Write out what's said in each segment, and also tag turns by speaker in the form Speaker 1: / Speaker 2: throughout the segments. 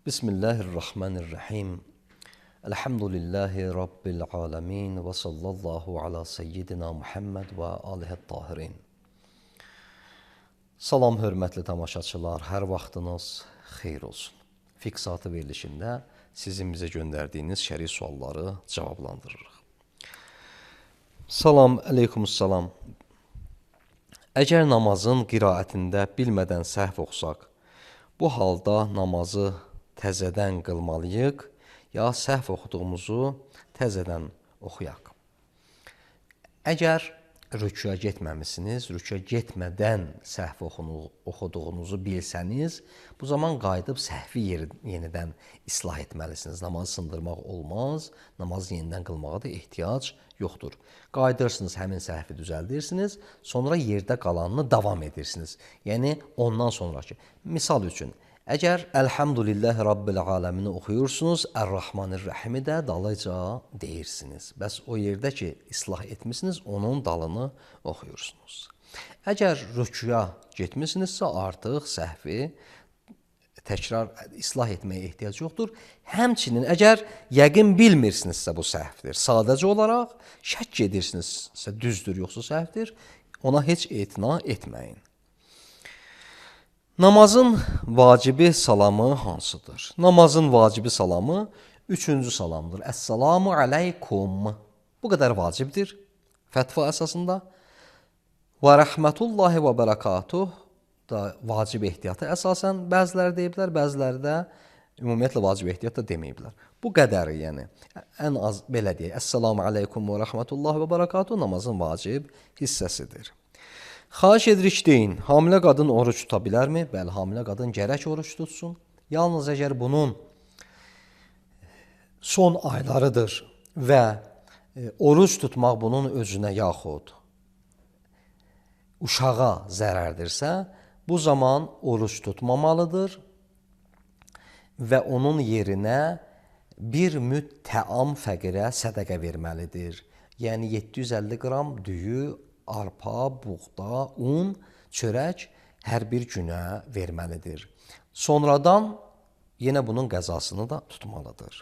Speaker 1: Bismillahirrahmanirrahim. Elhamdülillahi Rabbil alemin ve sallallahu ala seyyidina Muhammed və alihi tahirin. Salam hörmətli tamaşaçılar, hər vaxtınız xeyir olsun. Fiksatı verilişində sizin bizə göndərdiyiniz şəri sualları cavablandırırıq. Salam, əleykumussalam. Əgər namazın qiraətində bilmədən səhv oxsaq, bu halda namazı təzədən qılmalıyıq, ya səhv oxuduğumuzu təzədən oxuyaq. Əgər rüküya getməmisiniz, rüküya getmədən səhv oxuduğunuzu bilsəniz, bu zaman qayıdıb səhvi yenidən islah etməlisiniz. Namazı sındırmaq olmaz, namazı yenidən qılmağa da ehtiyac yoxdur. Qayıdırsınız, həmin səhvi düzəldirsiniz, sonra yerdə qalanını davam edirsiniz. Yəni, ondan sonraki. Misal üçün, əgər Elhamdülillahi Rabbil aləmini oxuyursunuz, Ər-Rahmanir-Rəhimi də dalıca deyirsiniz. Bəs o yerdə ki, islah etmişsiniz, onun dalını oxuyursunuz. Əgər rüküya getmişsinizsə, artıq səhvi təkrar islah etməyə ehtiyac yoxdur. Həmçinin, əgər yəqin bilmirsinizsə bu səhvdir, sadəcə olaraq şək edirsinizsə düzdür, yoxsa səhvdir, ona heç etina etməyin. Namazın vacibi salamı hansıdır? Namazın vacibi salamı 3-cü salamdır. Əssalamu aleykum. Bu qədər vacibdir fətva əsasında. Və rəhmətullahi və bərəkatuh da vacib ehtiyatı əsasən bəziləri deyiblər, bəziləri də ümumiyyətlə vacib ehtiyat da deməyiblər. Bu qədəri, yəni ən az belə deyək. Əssalamu aleykum və rəhmətullahi və bərəkatuh namazın vacib hissəsidir. Xahiş edirik deyin, hamilə qadın oruç tuta bilərmi? Bəli, hamilə qadın gərək oruç tutsun. Yalnız əgər bunun son aylarıdır və oruç tutmaq bunun özünə yaxud uşağa zərərdirsə, bu zaman oruç tutmamalıdır və onun yerinə bir müd təam fəqirə sədəqə verməlidir. Yəni 750 qram düyü, arpa, buğda, un, çörək hər bir günə verməlidir. Sonradan yenə bunun qəzasını da tutmalıdır.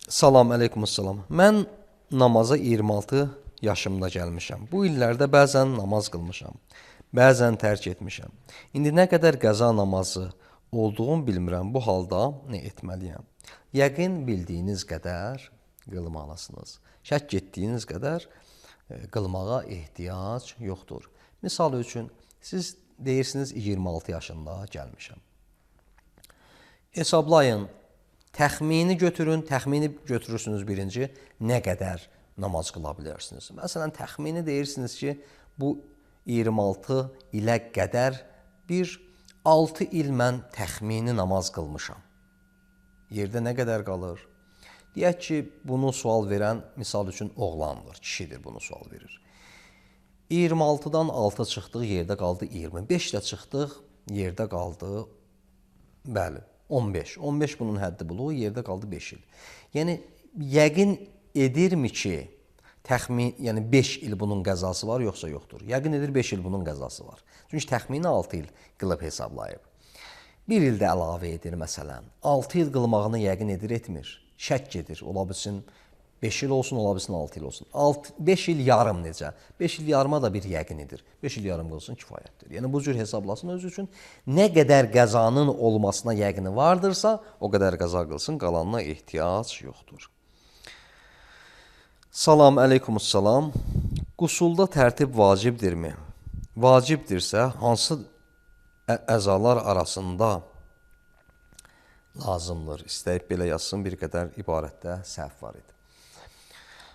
Speaker 1: Salam, əleykumussalam. Mən namaza 26 yaşımda gəlmişəm. Bu illərdə bəzən namaz qılmışam, bəzən tərk etmişəm. İndi nə qədər qəza namazı olduğunu bilmirəm, bu halda nə etməliyəm? Yəqin bildiyiniz qədər qılmalısınız. Şək etdiyiniz qədər qılmağa ehtiyac yoxdur. Misal üçün, siz deyirsiniz 26 yaşında gəlmişəm. Hesablayın, təxmini götürün, təxmini götürürsünüz birinci, nə qədər namaz qıla bilərsiniz. Məsələn, təxmini deyirsiniz ki, bu 26 ilə qədər bir 6 il mən təxmini namaz qılmışam. Yerdə nə qədər qalır? Deyək ki, bunu sual verən, misal üçün, oğlandır, kişidir bunu sual verir. 26-dan 6 çıxdıq, yerdə qaldı 20. 5-də çıxdıq, yerdə qaldı, bəli, 15. 15 bunun həddi buluğu, yerdə qaldı 5 il. Yəni, yəqin edirmi ki, yəni 5 il bunun qəzası var, yoxsa yoxdur? Yəqin edir 5 il bunun qəzası var. Çünki təxmini 6 il qılıb hesablayıb. 1 ildə əlavə edir, məsələn. 6 il qılmağını yəqin edir, etmir. Şək edir, ola bilsin 5 il olsun, ola bilsin 6 il olsun. 5 il yarım necə? 5 il yarıma da bir yəqin edir. 5 il yarım qılsın kifayətdir. Yəni bu cür hesablasın özü üçün. Nə qədər qəzanın olmasına yəqini vardırsa, o qədər qəza qılsın, qalanına ehtiyac yoxdur. Salam, əleykumussalam. Qusulda tərtib vacibdirmi? Vacibdirsə, hansı əzalar arasında lazımdır? İstəyib belə yazsın, bir qədər ibarətdə səhv var idi.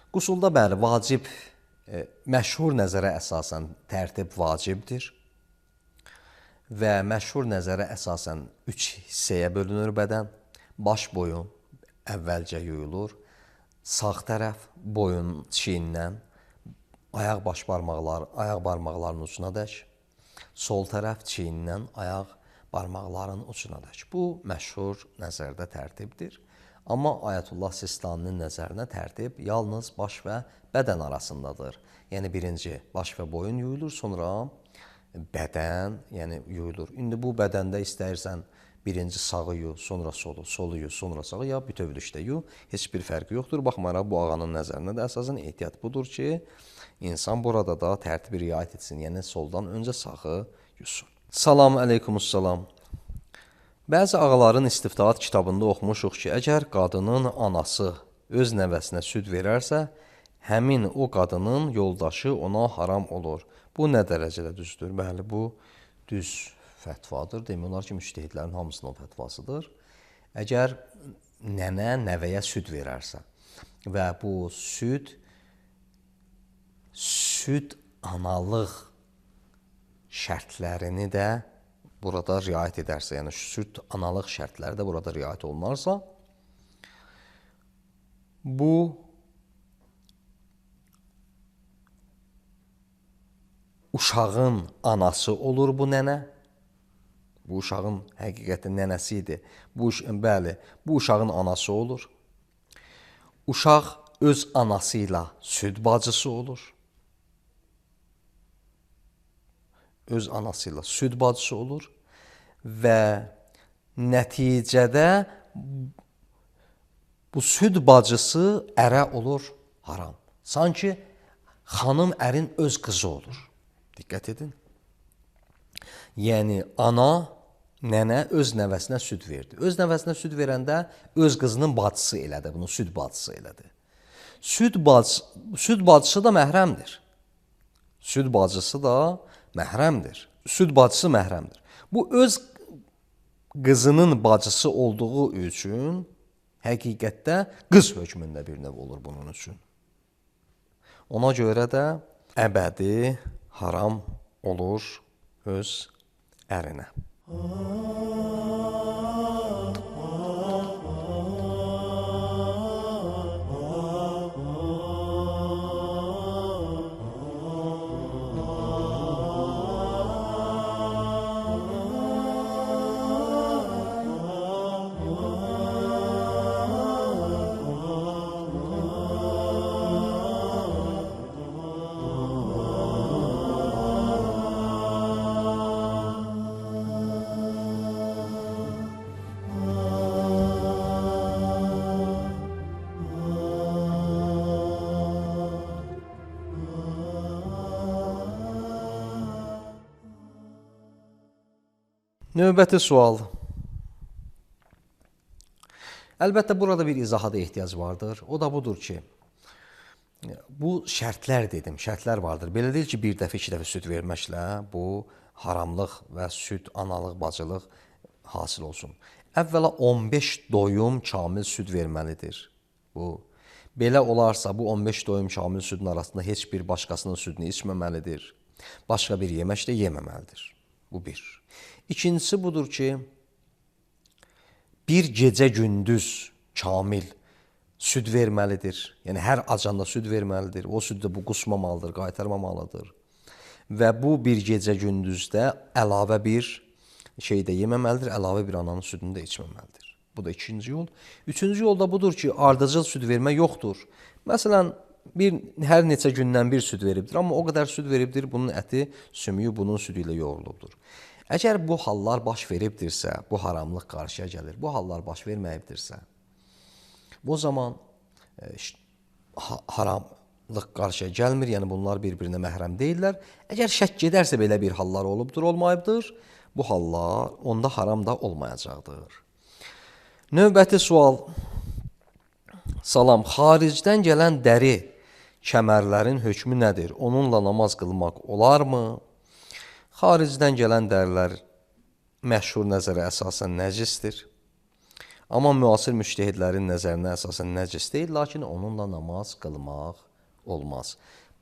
Speaker 1: Qusulda bəli, vacib, məşhur nəzərə əsasən tərtib vacibdir və məşhur nəzərə əsasən 3 hissəyə bölünür bədən. Baş boyun əvvəlcə yuyulur, sağ tərəf boyun çiynindən, ayaq baş barmaqlar, ayaq barmaqlarının ucuna dək, sol tərəf çiynindən, ayaq barmaqların ucuna dək. Bu, məşhur nəzərdə tərtibdir. Amma Ayətullah Sistaninin nəzərinə tərtib yalnız baş və bədən arasındadır. Yəni, birinci baş və boyun yuyulur, sonra bədən yuyulur. İndi bu bədəndə istəyirsən Birinci sağı yu, sonra solu, solu yu, sonra sağı, ya bütövlükdə yu. Heç bir fərqi yoxdur. Baxmayaraq bu ağanın nəzərində də əsasən ehtiyat budur ki, insan burada da tərtibi riayət etsin. Yəni soldan öncə sağı yusun. Salam əleykumussalam. Bəzi ağaların istiftahat kitabında oxumuşuq ki, əgər qadının anası öz nəvəsinə süd verərsə, həmin o qadının yoldaşı ona haram olur. Bu nə dərəcədə düzdür? Bəli, bu düz fətvadır. Demək olar ki, müştəhidlərin hamısının fətvasıdır. Əgər nənə nəvəyə süd verərsə və bu süd analıq şərtlərini də burada riayət edərsə, yəni süd analıq şərtləri də burada riayət olunarsa, bu uşağın anası olur bu nənə. Bu uşağın həqiqətən nənəsi idi. Bəli, bu uşağın anası olur. Uşaq öz anası ilə süd bacısı olur. Öz anası ilə süd bacısı olur və nəticədə bu süd bacısı ərə olur haram. Sanki xanım ərin öz qızı olur. Diqqət edin. Yəni ana, nənə öz nəvəsinə süd verdi. Öz nəvəsinə süd verəndə öz qızının bacısı elədi, bunu süd bacısı elədi. Süd bacısı da məhrəmdir. Süd bacısı da məhrəmdir. Süd bacısı məhrəmdir. Bu öz qızının bacısı olduğu üçün həqiqətdə qız hökmündə bir növ olur bunun üçün. Ona görə də əbədi haram olur öz ərinə. Növbəti sual. Əlbəttə, burada bir izaha da ehtiyac vardır. O da budur ki, bu şərtlər dedim, şərtlər vardır. Belə deyil ki, bir dəfə, iki dəfə süd verməklə bu haramlıq və süd, analıq, bacılıq hasil olsun. Əvvəla 15 doyum kamil süd verməlidir. Belə olarsa, bu 15 doyum kamil südün arasında heç bir başqasının südünü içməməlidir. Başqa bir yemək də yeməməlidir. Bu bir. İkincisi budur ki, bir gecə gündüz kamil süd verməlidir. Yəni, hər acanda süd verməlidir. O süddə bu qusmamalıdır, qaytarmamalıdır. Və bu bir gecə gündüzdə əlavə bir şey də yeməməlidir, əlavə bir ananın südünü də içməməlidir. Bu da ikinci yol. Üçüncü yol da budur ki, ardıcıl süd vermə yoxdur. Məsələn, hər neçə gündən bir süd veribdir, amma o qədər süd veribdir, bunun əti, sümüyü bunun südü ilə yoğrulubdur. Əgər bu hallar baş veribdirsə, bu haramlıq qarşıya gəlir, bu hallar baş verməyibdirsə, bu zaman haramlıq qarşıya gəlmir, yəni bunlar bir-birinə məhrəm deyirlər. Əgər şək gedərsə belə bir hallar olubdur, olmayıbdır, bu hallar onda haram da olmayacaqdır. Növbəti sual. Salam, xaricdən gələn dəri kəmərlərin hökmü nədir? Onunla namaz qılmaq olarmı? Xaricdən gələn dərilər məşhur nəzərə əsasən nəcisdir. Amma müasir müştəhidlərin nəzərinə əsasən nəcis deyil, lakin onunla namaz qılmaq olmaz.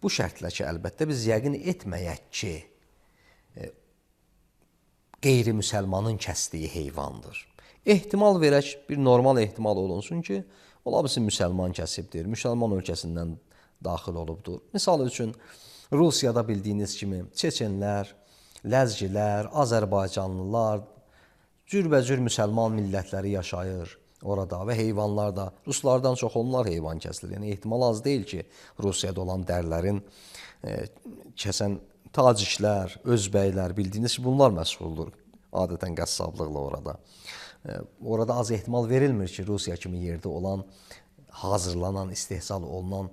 Speaker 1: Bu şərtlə ki, əlbəttə biz yəqin etməyək ki, qeyri-müsəlmanın kəsdiyi heyvandır. Ehtimal verək, bir normal ehtimal olunsun ki, ola bilsin müsəlman kəsibdir, müsəlman ölkəsindən daxil olubdur. Misal üçün, Rusiyada bildiyiniz kimi Çeçenlər, Ləzgilər, Azərbaycanlılar, cürbəcür müsəlman millətləri yaşayır orada və heyvanlar da, ruslardan çox onlar heyvan kəsilir. Yəni, ehtimal az deyil ki, Rusiyada olan dərlərin kəsən taciklər, özbəklər, bildiyiniz ki, bunlar məşğuldur. adətən qəssablıqla orada. Orada az ehtimal verilmir ki, Rusiya kimi yerdə olan, hazırlanan, istehsal olunan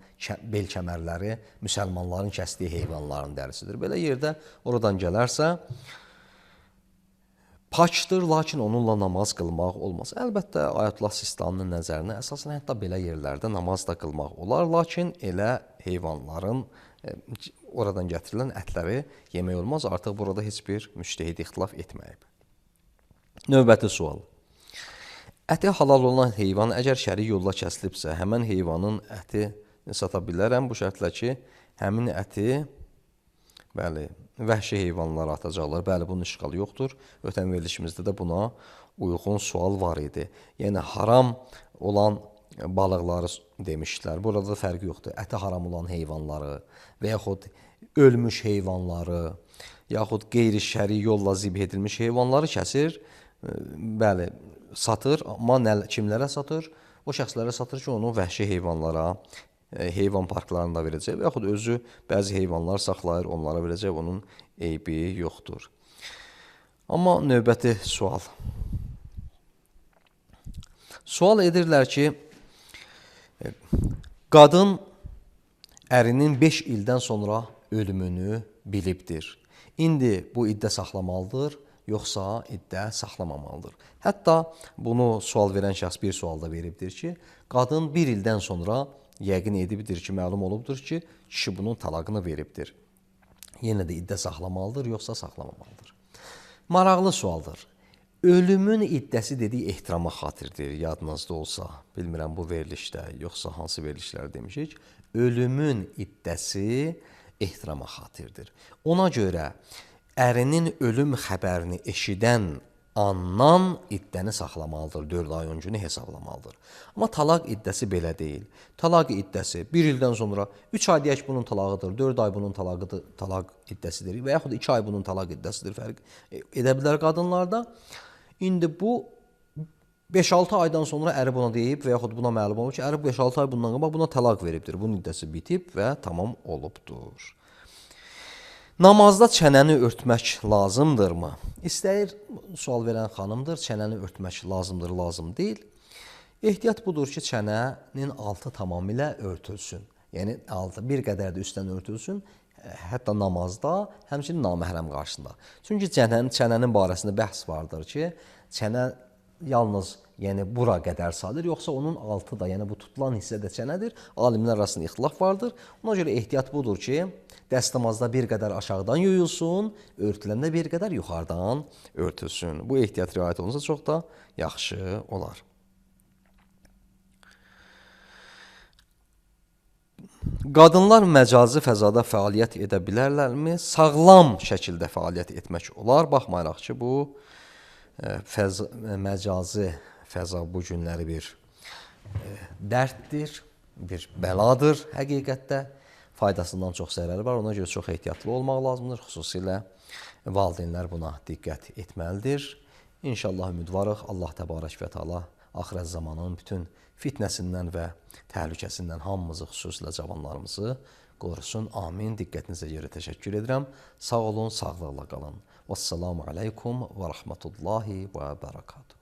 Speaker 1: bel kəmərləri müsəlmanların kəsdiyi heyvanların dərisidir. Belə yerdə oradan gələrsə, pakdır, lakin onunla namaz qılmaq olmaz. Əlbəttə, Ayətullah Sistaninin nəzərinə əsasən hətta belə yerlərdə namaz da qılmaq olar, lakin elə heyvanların oradan gətirilən ətləri yemək olmaz. Artıq burada heç bir müctəhid ixtilaf etməyib. Növbəti sual. Əti halal olan heyvan əgər şəri yolla kəsilibsə, həmən heyvanın ətini sata bilərəm bu şərtlə ki, həmin əti vəhşi heyvanlar atacaqlar. Bəli, bunun işğalı yoxdur. Ötən verilişimizdə də buna uyğun sual var idi. Yəni, haram olan balıqları demişdilər. Burada da fərqi yoxdur. Əti haram olan heyvanları və yaxud ölmüş heyvanları, yaxud qeyri-şəri yolla zibh edilmiş heyvanları kəsir. Bəli, satır, amma kimlərə satır? O şəxslərə satır ki, onu vəhşi heyvanlara, heyvan parklarında verəcək və yaxud özü bəzi heyvanlar saxlayır, onlara verəcək, onun eybi yoxdur. Amma növbəti sual. Sual edirlər ki, qadın ərinin 5 ildən sonra ölümünü bilibdir. İndi bu iddə saxlamalıdır, yoxsa iddə saxlamamalıdır. Hətta bunu sual verən şəxs bir sualda veribdir ki, qadın 1 ildən sonra yəqin edibdir ki, məlum olubdur ki, kişi bunun talaqını veribdir. Yenə də iddə saxlamalıdır, yoxsa saxlamamalıdır. Maraqlı sualdır. Ölümün iddəsi dediyi ehtirama xatirdir, yadınızda olsa. Bilmirəm bu verilişdə, yoxsa hansı verilişlər demişik. Ölümün iddəsi ehtirama xatirdir. Ona görə ərinin ölüm xəbərini eşidən andan iddəni saxlamalıdır, 4 ay 10 günü hesablamalıdır. Amma talaq iddəsi belə deyil. Talaq iddəsi 1 ildən sonra 3 ay deyək bunun talağıdır, 4 ay bunun talaq iddəsidir və yaxud 2 ay bunun talaq iddəsidir, fərq edə bilər qadınlarda. İndi bu 5-6 aydan sonra əri buna deyib və yaxud buna məlum olur ki, əri 5-6 ay bundan qabaq buna talaq veribdir. Bunun iddəsi bitib və tamam olubdur. Namazda çənəni örtmək lazımdırmı? İstəyir, sual verən xanımdır, çənəni örtmək lazımdır, lazım deyil. Ehtiyat budur ki, çənənin altı tamamilə örtülsün. Yəni, altı bir qədər də üstdən örtülsün, hətta namazda, həmçinin naməhrəm qarşısında. Çünki çənənin barəsində bəhs vardır ki, çənə yalnız bura qədər sadır, yoxsa onun altı da, yəni bu tutulan hissə də çənədir. Alimlər arasında ixtilaf vardır. Ona görə ehtiyat budur ki, dəstəmazda bir qədər aşağıdan yuyulsun, örtüləndə bir qədər yuxarıdan örtülsün. Bu ehtiyat riayət olunsa çox da yaxşı olar. Qadınlar məcazi fəzada fəaliyyət edə bilərlərmi? Sağlam şəkildə fəaliyyət etmək olar. Baxmayaraq ki, bu məcazi fəza bu günləri bir dərddir, bir bəladır həqiqətdə. Faydasından çox zərəri var, ona görə çox ehtiyatlı olmaq lazımdır. Xüsusilə valideynlər buna diqqət etməlidir. İnşallah ümidvarıq, Allah təbarək və təala axirət zamanın bütün fitnəsindən və təhlükəsindən hamımızı, xüsusilə cavanlarımızı qorusun. Amin. Diqqətinizə görə təşəkkür edirəm. Sağ olun, sağlıqla qalın. Vəssalamu aleykum və rəhmətullahi və bərəkatuhu.